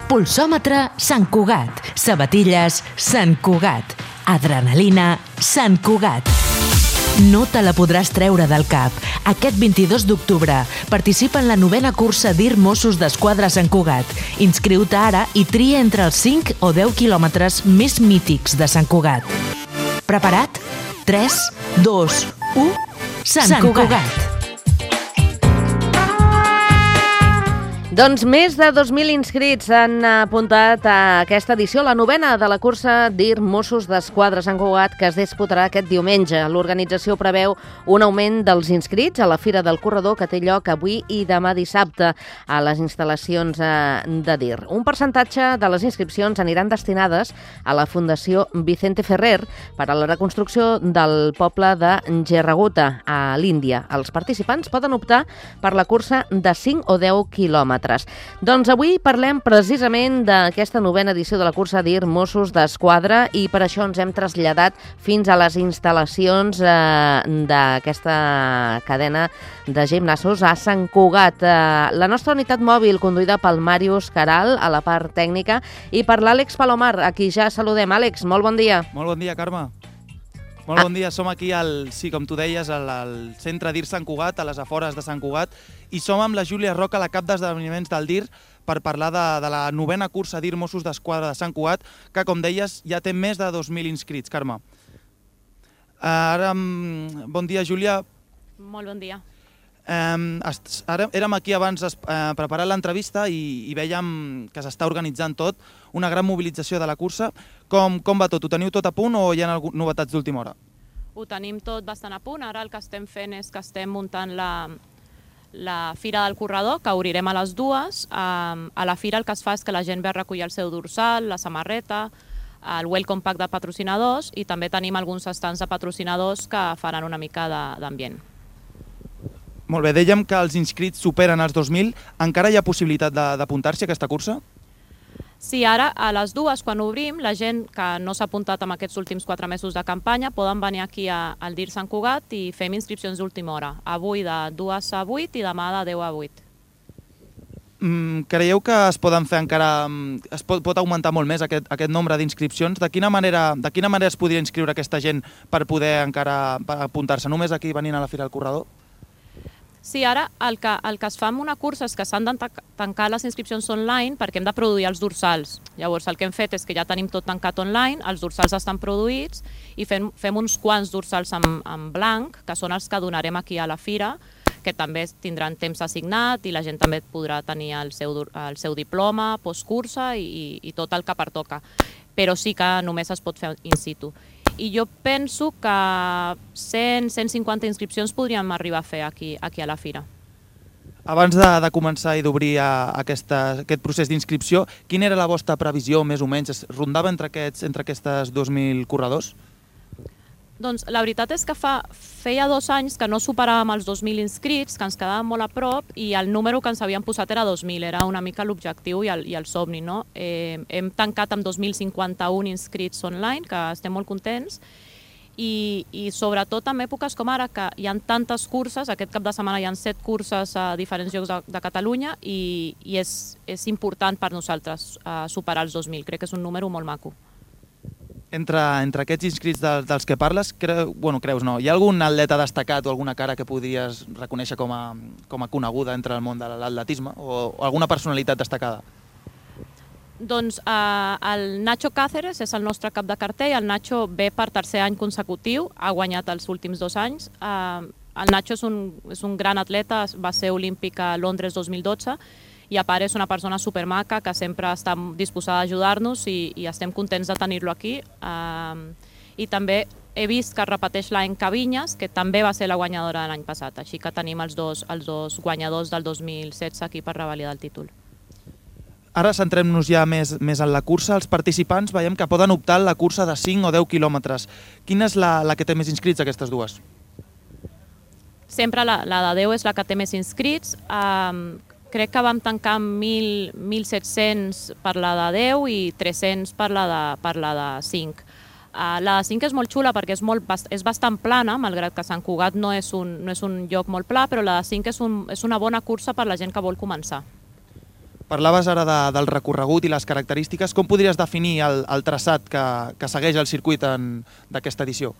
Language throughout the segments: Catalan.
Pulsòmetre Sant Cugat. Sabatilles Sant Cugat. Adrenalina Sant Cugat. No te la podràs treure del cap. Aquest 22 d'octubre participa en la 9a cursa DIR Mossos d'Esquadra Sant Cugat. Inscriu-te ara i tria entre els 5 o 10 quilòmetres més mítics de Sant Cugat. Preparat? 3, 2, 1... Sant Cugat. Doncs més de 2.000 inscrits han apuntat a aquesta edició, la 9a de la cursa DIR Mossos d'Esquadra Sant Cugat, que es disputarà aquest diumenge. L'organització preveu un augment dels inscrits a la Fira del Corredor, que té lloc avui i demà dissabte a les instal·lacions de DIR. Un percentatge de les inscripcions aniran destinades a la Fundació Vicente Ferrer per a la reconstrucció del poble de Gerraguta, a l'Índia. Els participants poden optar per la cursa de 5 o 10 quilòmetres. Doncs avui parlem precisament d'aquesta 9a edició de la cursa DIR Mossos d'Esquadra i per això ens hem traslladat fins a les instal·lacions d'aquesta cadena de gimnasos a Sant Cugat. La nostra unitat mòbil, conduïda pel Màrius Caral a la part tècnica, i per l'Àlex Palomar, a qui ja saludem. Àlex, molt bon dia. Molt bon dia, Carme. Molt bon dia, som aquí, com tu deies, al centre DIR Sant Cugat, a les afores de Sant Cugat, i som amb la Júlia Roca, la cap d'esdeveniments del DIR, per parlar de la 9a cursa DIR Mossos d'Esquadra de Sant Cugat, que, com deies, ja té més de 2.000 inscrits. Carme. Bon dia, Júlia. Molt bon dia. Ara érem aquí abans preparant l'entrevista i vèiem que s'està organitzant tot, una gran mobilització de la cursa. Com va tot? Ho teniu tot a punt o hi ha novetats d'última hora? Ho tenim tot bastant a punt. Ara el que estem fent és que estem muntant la Fira del Corredor, que obrirem a les 2. A la Fira el que es fa és que la gent ve a recollir el seu dorsal, la samarreta, el welcome pack de patrocinadors, i també tenim alguns estants de patrocinadors que faran una mica d'ambient. Molt bé, dèiem que els inscrits superen els 2.000. Encara hi ha possibilitat d'apuntar-s'hi a aquesta cursa? Sí, ara a les 2, quan obrim, la gent que no s'ha apuntat en aquests últims 4 mesos de campanya poden venir aquí al DIR Sant Cugat i fem inscripcions d'última hora. Avui de 2 a 8 i demà de 10 a 8. Creieu que es poden fer encara... es pot augmentar molt més aquest nombre d'inscripcions? De quina manera es podria inscriure aquesta gent per poder encara apuntar-se? Només aquí venint a la Fira del Corredor? Sí, ara el que es fa en una cursa és que s'han de tancar les inscripcions online perquè hem de produir els dorsals. Llavors el que hem fet és que ja tenim tot tancat online, els dorsals estan produïts i fem uns quants dorsals en blanc, que són els que donarem aquí a la Fira, que també tindran temps assignat i la gent també podrà tenir el seu diploma, postcursa i tot el que pertoca. Però sí que només es pot fer in situ. I jo penso que 100-150 inscripcions podríem arribar a fer aquí a la Fira. Abans de començar i d'obrir aquest procés d'inscripció, quina era la vostra previsió, més o menys? Es rondava entre aquestes 2.000 corredors? Doncs la veritat és que feia 2 anys que no superàvem els 2.000 inscrits, que ens quedàvem molt a prop, i el número que ens havíem posat era 2.000, era una mica l'objectiu i el somni, no? Hem tancat amb 2.051 inscrits online, que estem molt contents, i sobretot en èpoques com ara, que hi ha tantes curses, aquest cap de setmana hi ha 7 curses a diferents llocs de Catalunya, i és important per nosaltres superar els 2.000, crec que és un número molt maco. Entre aquests inscrits dels que parles, creus no? Hi ha algun atleta destacat o alguna cara que podries reconèixer com a coneguda entre el món de l'atletisme o alguna personalitat destacada? Doncs el Nacho Cáceres és el nostre cap de cartell. El Nacho ve per 3è any consecutiu, ha guanyat els últims 2 anys. El Nacho és un gran atleta, va ser olímpic a Londres 2012, i a part és una persona supermaca que sempre està disposada a ajudar-nos i estem contents de tenir-lo aquí. I també he vist que repeteix l'any Cavinyes, que també va ser la guanyadora de l'any passat, així que tenim els dos guanyadors del 2016 aquí per revalidar el títol. Ara centrem-nos ja més en la cursa. Els participants veiem que poden optar a la cursa de 5 o 10 quilòmetres. Quina és la que té més inscrits, aquestes dues? Sempre la de 10 és la que té més inscrits. Crec que vam tancar amb 1.700 per la de 10 i 300 per la de 5. La de 5 és molt xula perquè és bastant plana, malgrat que Sant Cugat no és un lloc molt pla, però la de 5 és una bona cursa per la gent que vol començar. Parlaves ara del recorregut i les característiques. Com podries definir el traçat que segueix el circuit d'aquesta edició?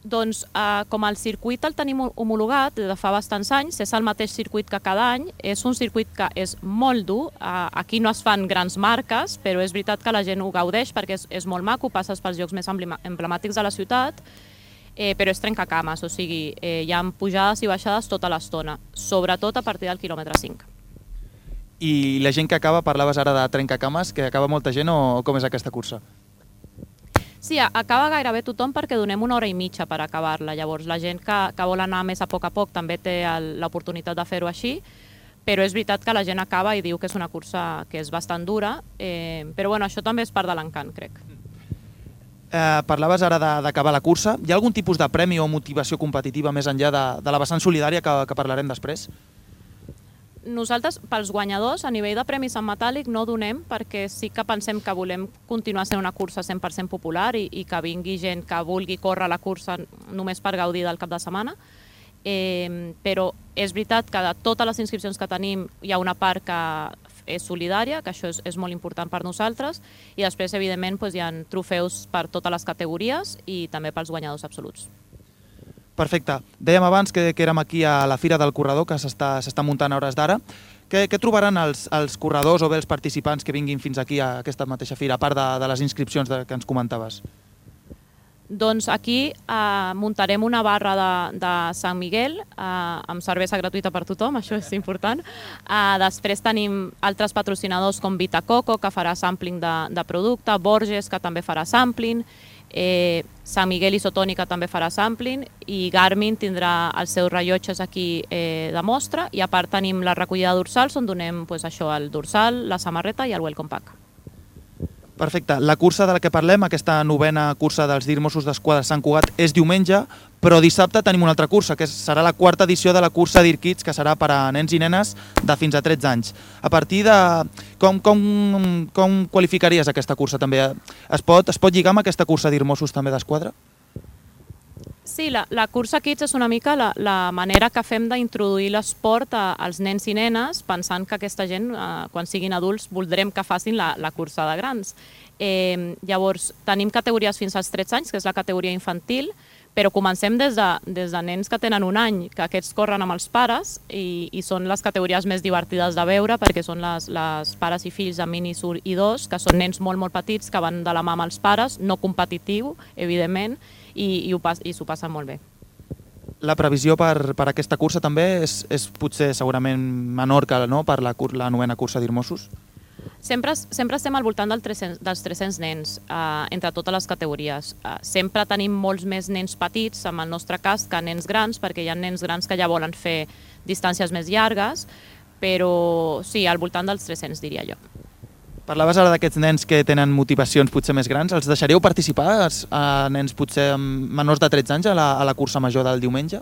Doncs com el circuit el tenim homologat de fa bastants anys, és el mateix circuit que cada any, és un circuit que és molt dur, aquí no es fan grans marques, però és veritat que la gent ho gaudeix perquè és molt maco, passes pels llocs més emblemàtics de la ciutat, però és trencacames, o sigui, hi ha pujades i baixades tota l'estona, sobretot a partir del quilòmetre 5. I la gent que acaba, parlaves ara de trencacames, que acaba molta gent o com és aquesta cursa? Sí, acaba gairebé tothom perquè donem 1 hora i mitja per acabar-la. Llavors, la gent que vol anar més a poc també té l'oportunitat de fer-ho així, però és veritat que la gent acaba i diu que és una cursa que és bastant dura, però bueno, això també és part de l'encant, crec. Parlaves ara d'acabar la cursa. Hi ha algun tipus de premi o motivació competitiva més enllà de la vessant solidària que parlarem després? Nosaltres, pels guanyadors, a nivell de premis en metàl·lic no donem perquè sí que pensem que volem continuar sent una cursa 100% popular i que vingui gent que vulgui córrer la cursa només per gaudir del cap de setmana. Però és veritat que de totes les inscripcions que tenim hi ha una part que és solidària, que això és molt important per nosaltres, i després, evidentment, hi ha trofeus per totes les categories i també pels guanyadors absoluts. Perfecte. Dèiem abans que érem aquí a la Fira del Corredor, que s'està muntant a hores d'ara. Què trobaran els corredors o bé els participants que vinguin fins aquí a aquesta mateixa fira, a part de les inscripcions que ens comentaves? Doncs aquí muntarem una barra de Sant Miguel amb cervesa gratuïta per tothom, això és important. Després tenim altres patrocinadors com Vitacoco, que farà sampling de producte, Borges, que també farà sampling, Sant Miguel Isotònica també farà sampling i Garmin tindrà els seus rellotges aquí de mostra, i a part tenim la recollida de dorsals on donem el dorsal, la samarreta i el welcome pack. Perfecte. La cursa de la que parlem, aquesta 9ª cursa dels DIR Mossos d'Esquadra Sant Cugat, és diumenge, però dissabte tenim una altra cursa, que serà la 4ª edició de la cursa DIR Kids, que serà per a nens i nenes de fins a 13 anys. A partir de... Com qualificaries aquesta cursa també? Es pot lligar amb aquesta cursa DIR Mossos també d'Esquadra? Sí, la cursa Kids és una mica la manera que fem d'introduir l'esport als nens i nenes, pensant que aquesta gent, quan siguin adults, voldrem que facin la cursa de grans. Llavors, tenim categories fins als 13 anys, que és la categoria infantil, però comencem des de nens que tenen 1 any, que aquests corren amb els pares i són les categories més divertides de veure, perquè són les pares i fills de Mini Sur i 2, que són nens molt, molt petits, que van de la mà amb els pares, no competitiu, evidentment, i s'ho passen molt bé. La previsió per aquesta cursa també és potser segurament menor que per la 9ª cursa DIR Mossos? Sempre estem al voltant dels 300 nens entre totes les categories. Sempre tenim molts més nens petits, en el nostre cas, que nens grans, perquè hi ha nens grans que ja volen fer distàncies més llargues, però sí, al voltant dels 300, diria jo. Parlaves ara d'aquests nens que tenen motivacions potser més grans. Els deixaríeu participar, a nens potser menors de 13 anys, a la cursa major del diumenge?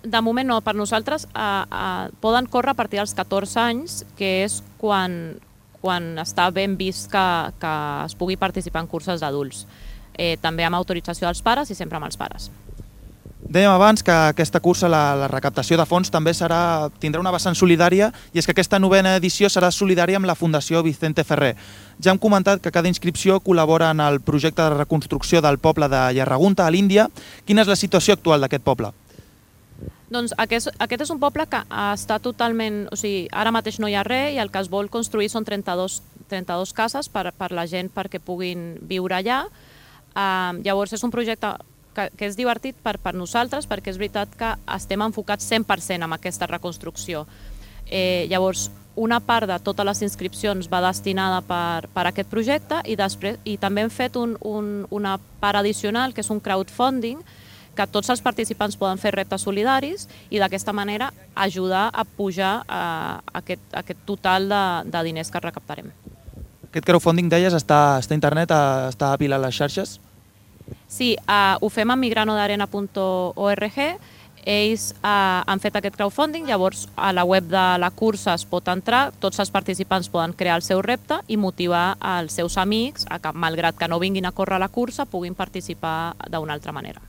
De moment no, per nosaltres poden córrer a partir dels 14 anys, que és quan està ben vist que es pugui participar en curses d'adults. També amb autorització dels pares i sempre amb els pares. Dèiem abans que aquesta cursa, la recaptació de fons, també tindrà una vessant solidària, i és que aquesta 9ª edició serà solidària amb la Fundació Vicente Ferrer. Ja hem comentat que cada inscripció col·labora en el projecte de reconstrucció del poble de Yarragunta, a l'Índia. Quina és la situació actual d'aquest poble? Doncs aquest és un poble que està totalment... O sigui, ara mateix no hi ha res i el que es vol construir són 32 cases per la gent perquè puguin viure allà. Llavors és un projecte que és divertit per nosaltres, perquè és veritat que estem enfocats 100% en aquesta reconstrucció. Llavors, una part de totes les inscripcions va destinada per aquest projecte i també hem fet una part addicional, que és un crowdfunding, que tots els participants poden fer reptes solidaris i d'aquesta manera ajudar a pujar aquest total de diners que recaptarem. Aquest crowdfunding, deies, està a internet, està a pilar les xarxes? Sí, ho fem a migranodarena.org. Ells han fet aquest crowdfunding, llavors a la web de la cursa es pot entrar, tots els participants poden crear el seu repte i motivar els seus amics a que, malgrat que no vinguin a córrer la cursa, puguin participar d'una altra manera.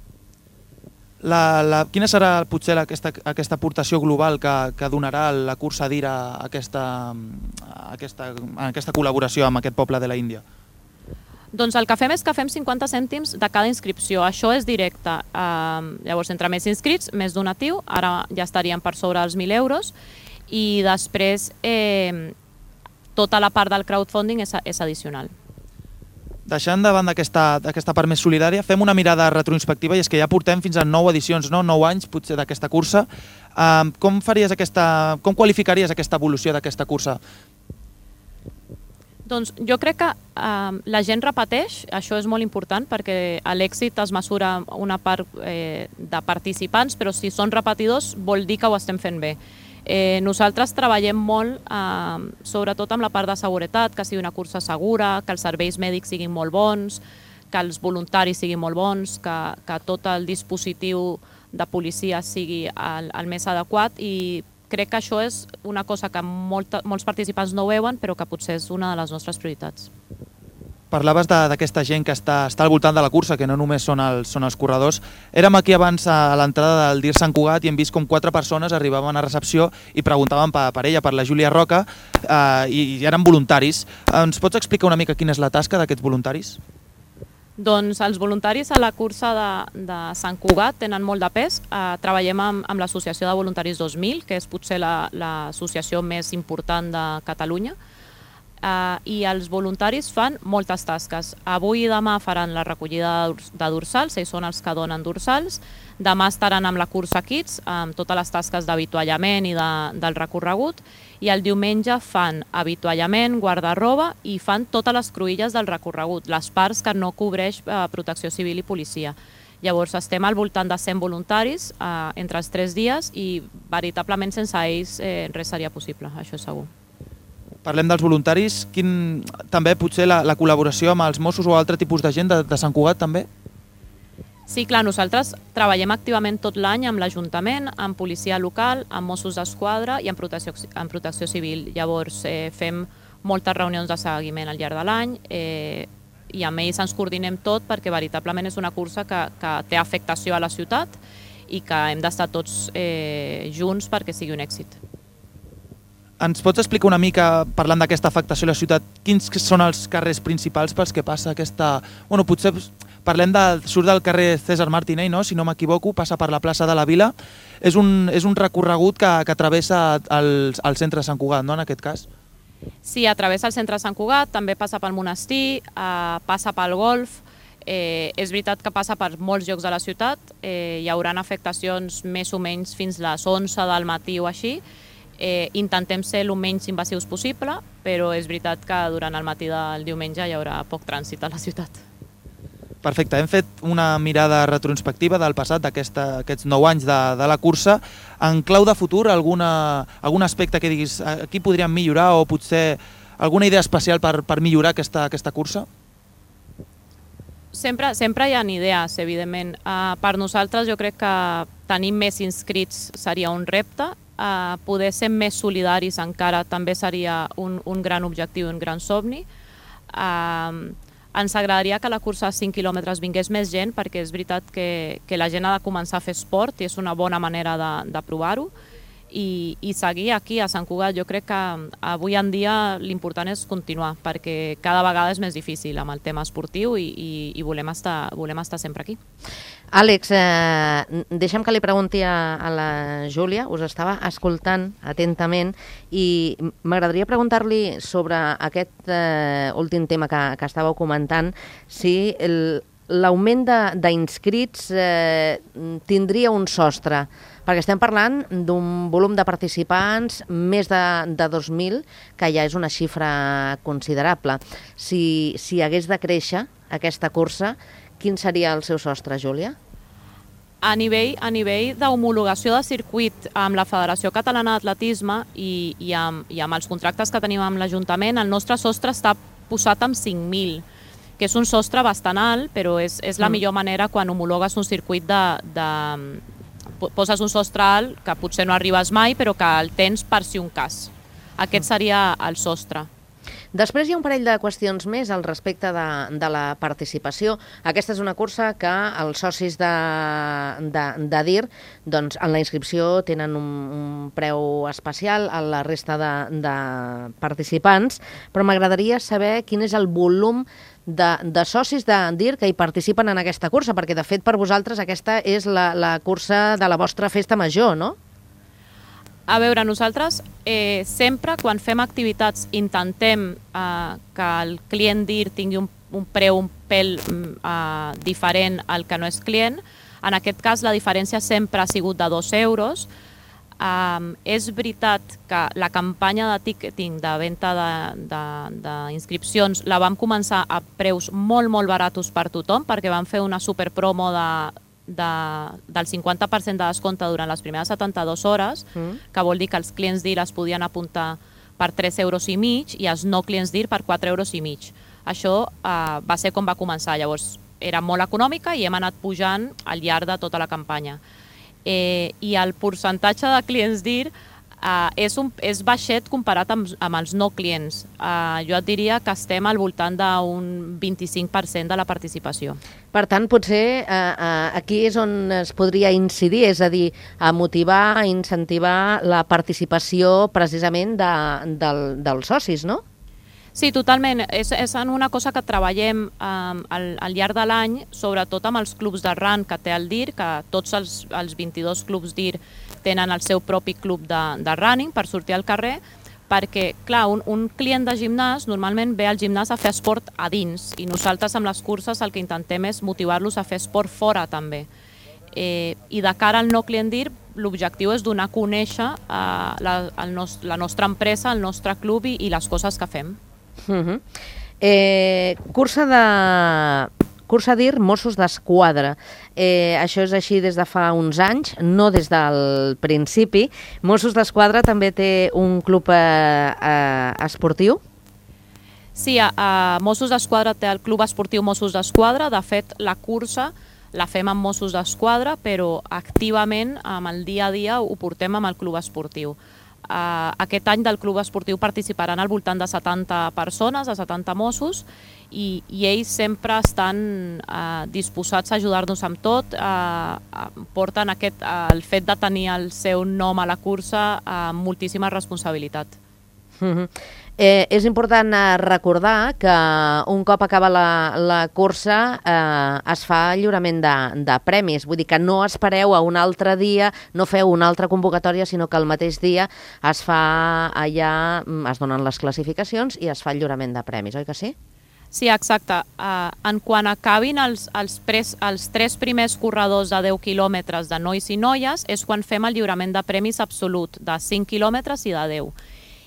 Quina serà potser aquesta aportació global que donarà la cursa DIR a aquesta col·laboració amb aquest poble de la Índia? Doncs el que fem és que fem 50 cèntims de cada inscripció. Això és directe. Llavors, entre més inscrits, més donatiu. Ara ja estaríem per sobre els 1.000 euros. I després, tota la part del crowdfunding és addicional. Deixant davant d'aquesta part més solidària, fem una mirada retrospectiva, i és que ja portem fins a 9 edicions, 9 anys potser d'aquesta cursa. Com qualificaries aquesta evolució d'aquesta cursa? Doncs jo crec que la gent repeteix, això és molt important, perquè l'èxit es mesura una part de participants, però si són repetidors vol dir que ho estem fent bé. Nosaltres treballem molt, sobretot amb la part de seguretat, que sigui una cursa segura, que els serveis mèdics siguin molt bons, que els voluntaris siguin molt bons, que tot el dispositiu de policia sigui el més adequat, i crec que això és una cosa que molts participants no veuen, però que potser és una de les nostres prioritats. Parlaves d'aquesta gent que està al voltant de la cursa, que no només són els corredors. Érem aquí abans a l'entrada del DIR Sant Cugat i hem vist com 4 persones arribaven a recepció i preguntaven per ella, per la Júlia Roca, i eren voluntaris. Ens pots explicar una mica quina és la tasca d'aquests voluntaris? Doncs els voluntaris a la cursa de Sant Cugat tenen molt de pes. Treballem amb l'Associació de Voluntaris 2000, que és potser l'associació més important de Catalunya, i els voluntaris fan moltes tasques. Avui i demà faran la recollida de dorsals, ells són els que donen dorsals. Demà estaran amb la cursa Kids, amb totes les tasques d'avituallament i del recorregut, i el diumenge fan avituallament, guarda-roba, i fan totes les cruïlles del recorregut, les parts que no cobreix Protecció Civil i Policia. Llavors estem al voltant de 100 voluntaris entre els 3 dies, i veritablement sense ells res seria possible, això és segur. Parlem dels voluntaris. També potser la col·laboració amb els Mossos o altre tipus de gent de Sant Cugat també? Sí, clar, nosaltres treballem activament tot l'any amb l'Ajuntament, amb policia local, amb Mossos d'Esquadra i amb protecció civil. Llavors fem moltes reunions de seguiment al llarg de l'any i amb ells ens coordinem tot, perquè veritablement és una cursa que té afectació a la ciutat i que hem d'estar tots junts perquè sigui un èxit. Ens pots explicar una mica, parlant d'aquesta afectació a la ciutat, quins són els carrers principals pels que passa aquesta... Bueno, potser parlem surt del carrer César Martinell, no? Si no m'equivoco, passa per la plaça de la Vila. És un recorregut que travessa el centre de Sant Cugat, no, en aquest cas? Sí, travessa el centre de Sant Cugat, també passa pel monestir, passa pel golf. És veritat que passa per molts llocs de la ciutat. Hi haurà afectacions més o menys fins les 11 del matí o així. Intentem ser el menys invasius possible, però és veritat que durant el matí del diumenge hi haurà poc trànsit a la ciutat. Perfecte, hem fet una mirada retrospectiva del passat, d'aquests 9 anys de la cursa. En clau de futur, algun aspecte que diguis aquí podríem millorar, o potser alguna idea especial per millorar aquesta cursa? Sempre hi ha idees, evidentment. Per nosaltres jo crec que tenir més inscrits seria un repte. Poder ser més solidaris encara també seria un gran objectiu, un gran somni. Ens agradaria que la cursa de 5 quilòmetres vingués més gent, perquè és veritat que la gent ha de començar a fer esport i és una bona manera de provar-ho. I seguir aquí a Sant Cugat. Jo crec que avui en dia l'important és continuar, perquè cada vegada és més difícil amb el tema esportiu i volem estar sempre aquí. Àlex, deixa'm que li pregunti a la Júlia, us estava escoltant atentament i m'agradaria preguntar-li sobre aquest últim tema que estàveu comentant, si l'augment d'inscrits tindria un sostre, perquè estem parlant d'un volum de participants més de 2.000, que ja és una xifra considerable. Si hagués de créixer aquesta cursa, quin seria el seu sostre, Júlia? A nivell d'homologació de circuit amb la Federació Catalana d'Atletisme i amb els contractes que tenim amb l'Ajuntament, el nostre sostre està posat amb 5.000, que és un sostre bastant alt, però és la millor manera quan homologues un circuit poses un sostre alt que potser no arribes mai, però que el tens per si un cas. Aquest seria el sostre. Després hi ha un parell de qüestions més al respecte de la participació. Aquesta és una cursa que els socis de DIR, doncs, en la inscripció tenen un preu especial a la resta de participants, però m'agradaria saber quin és el volum de socis de DIR que hi participen en aquesta cursa, perquè de fet per vosaltres aquesta és la cursa de la vostra festa major, no? A veure, nosaltres sempre quan fem activitats intentem que el client DIR tingui un preu un pèl diferent al que no és client. En aquest cas la diferència sempre ha sigut de 2 euros. És veritat que la campanya de ticketing, de venda d'inscripcions, la vam començar a preus molt, molt baratos per tothom, perquè vam fer una superpromo del 50% de descompte durant les primeres 72 hores, que vol dir que els clients DIR es podien apuntar per 3,5 euros i els no clients DIR per 4,5 euros. Això va ser com va començar. Llavors, era molt econòmica i hem anat pujant al llarg de tota la campanya. I el percentatge de clients DIR és baixet comparat amb els no clients. Jo et diria que estem al voltant d'un 25% de la participació. Per tant, potser aquí és on es podria incidir, és a dir, a motivar, a incentivar la participació precisament dels socis, no? Sí, totalment. És una cosa que treballem al llarg de l'any, sobretot amb els clubs de run que té el DIR, que tots els 22 clubs DIR tenen el seu propi club de running per sortir al carrer, perquè, clar, un client de gimnàs normalment ve al gimnàs a fer esport a dins i nosaltres amb les curses el que intentem és motivar-los a fer esport fora també. I de cara al no client DIR, l'objectiu és donar a conèixer la nostra empresa, el nostre club i les coses que fem. Cursa DIR Mossos d'Esquadra. Això és així des de fa uns anys, no des del principi. Mossos d'Esquadra també té un club esportiu? Sí, Mossos d'Esquadra té el Club Esportiu Mossos d'Esquadra. De fet, la cursa la fem amb Mossos d'Esquadra, però activament, amb el dia a dia, ho portem amb el Club Esportiu. Aquest any del Club Esportiu participaran al voltant de 70 persones, de 70 Mossos, i ells sempre estan disposats a ajudar-nos amb tot. Porten el fet de tenir el seu nom a la cursa amb moltíssima responsabilitat. És important recordar que un cop acaba la cursa es fa lliurament de premis, vull dir que no espereu a un altre dia, no feu una altra convocatòria, sinó que el mateix dia es fa allà, es donen les classificacions i es fa el lliurament de premis, oi que sí? Sí, exacte. En quan acabin els 3 primers corredors de 10 quilòmetres de nois i noies és quan fem el lliurament de premis absolut, de 5 quilòmetres i de 10.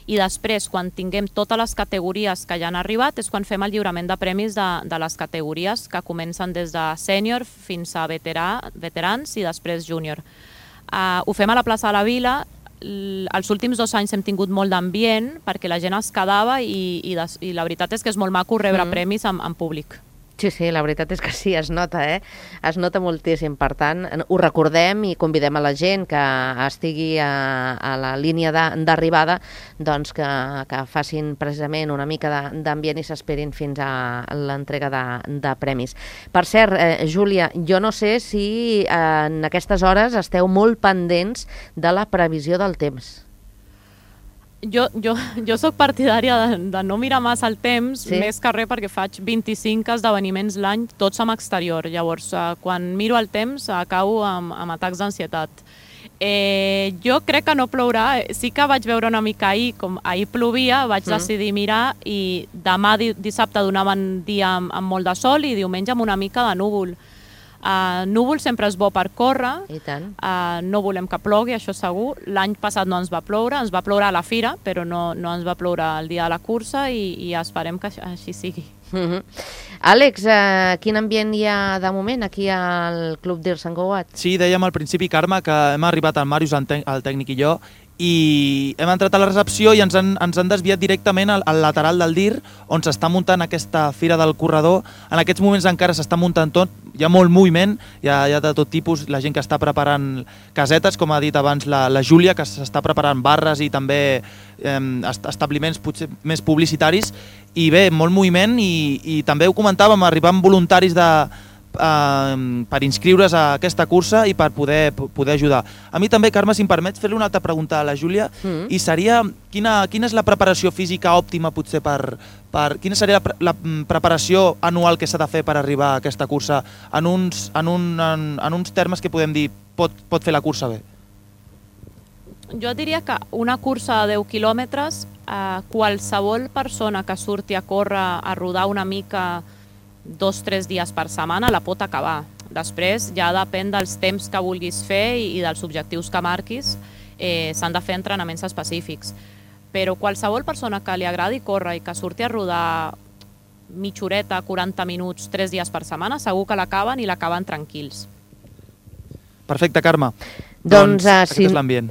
I després, quan tinguem totes les categories que ja han arribat, és quan fem el lliurament de premis de les categories que comencen des de sènior fins a veterans i després júnior. Ho fem a la plaça de la Vila. Els últims 2 anys hem tingut molt d'ambient perquè la gent es quedava i la veritat és que és molt maco rebre premis en públic. Sí, la veritat és que sí, es nota, es nota moltíssim. Per tant, ho recordem i convidem a la gent que estigui a la línia d'arribada doncs que facin precisament una mica d'ambient i s'esperin fins a l'entrega de premis. Per cert, Júlia, jo no sé si en aquestes hores esteu molt pendents de la previsió del temps. Jo soc partidària de no mirar massa el temps, més que res perquè faig 25 esdeveniments l'any, tots amb exterior. Llavors, quan miro el temps, acabo amb atacs d'ansietat. Jo crec que no plourà. Sí que vaig veure una mica ahir, com ahir plovia, vaig decidir mirar i demà dissabte donaven dia amb molt de sol i diumenge amb una mica de núvol. Núvol sempre és bo per córrer, no volem que plogui, això segur. L'any passat no ens va ploure a la fira, però no ens va ploure el dia de la cursa i esperem que així sigui. Àlex, quin ambient hi ha de moment aquí al Club DIR Sant Cugat? Sí, dèiem al principi, Carme, que hem arribat al Màrius, el tècnic i jo, i hem entrat a la recepció i ens han desviat directament al lateral del DIR, on s'està muntant aquesta fira del corredor. En aquests moments encara s'està muntant tot, hi ha molt moviment, hi ha de tot tipus, la gent que està preparant casetes, com ha dit abans la Júlia, que s'està preparant barres i també establiments potser més publicitaris, i bé, molt moviment, i també ho comentàvem, arribant voluntaris per inscriure's a aquesta cursa i per poder ajudar. A mi també, Carme, si em permets fer-li una altra pregunta a la Júlia, i seria quina és la preparació física òptima potser quina seria la preparació anual que s'ha de fer per arribar a aquesta cursa en uns termes que podem dir pot fer la cursa bé? Jo diria que una cursa de 10 quilòmetres, qualsevol persona que surti a córrer, a rodar una mica 2-3 dies per setmana la pot acabar. Després ja depèn dels temps que vulguis fer i dels objectius que marquis, s'han de fer entrenaments específics. Però qualsevol persona que li agradi córrer i que surti a rodar mitja horeta, 40 minuts, 3 dies per setmana, segur que l'acaben i l'acaben tranquils. Perfecte, Carme. Doncs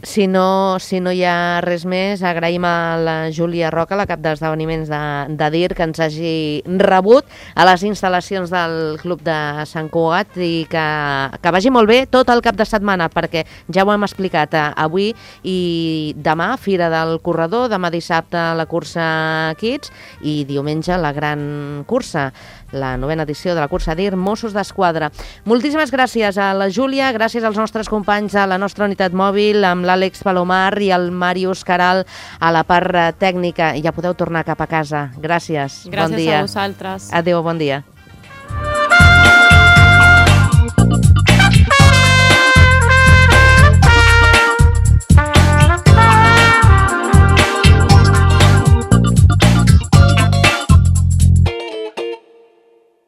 si no hi ha res més, agraïm a la Júlia Roca, la cap d'esdeveniments de DIR, que ens hagi rebut a les instal·lacions del Club de Sant Cugat, i que vagi molt bé tot el cap de setmana, perquè ja ho hem explicat avui i demà, Fira del Corredor, demà dissabte la cursa Kids i diumenge la gran cursa, la 9ª edició de la cursa DIR Mossos d'Esquadra. Moltíssimes gràcies a la Júlia, gràcies als nostres companys a la nostra unitat mòbil, amb l'Àlex Palomar i el Màrius Caral a la part tècnica. Ja podeu tornar cap a casa. Gràcies. Gràcies bon dia. A vosaltres. Adéu, bon dia.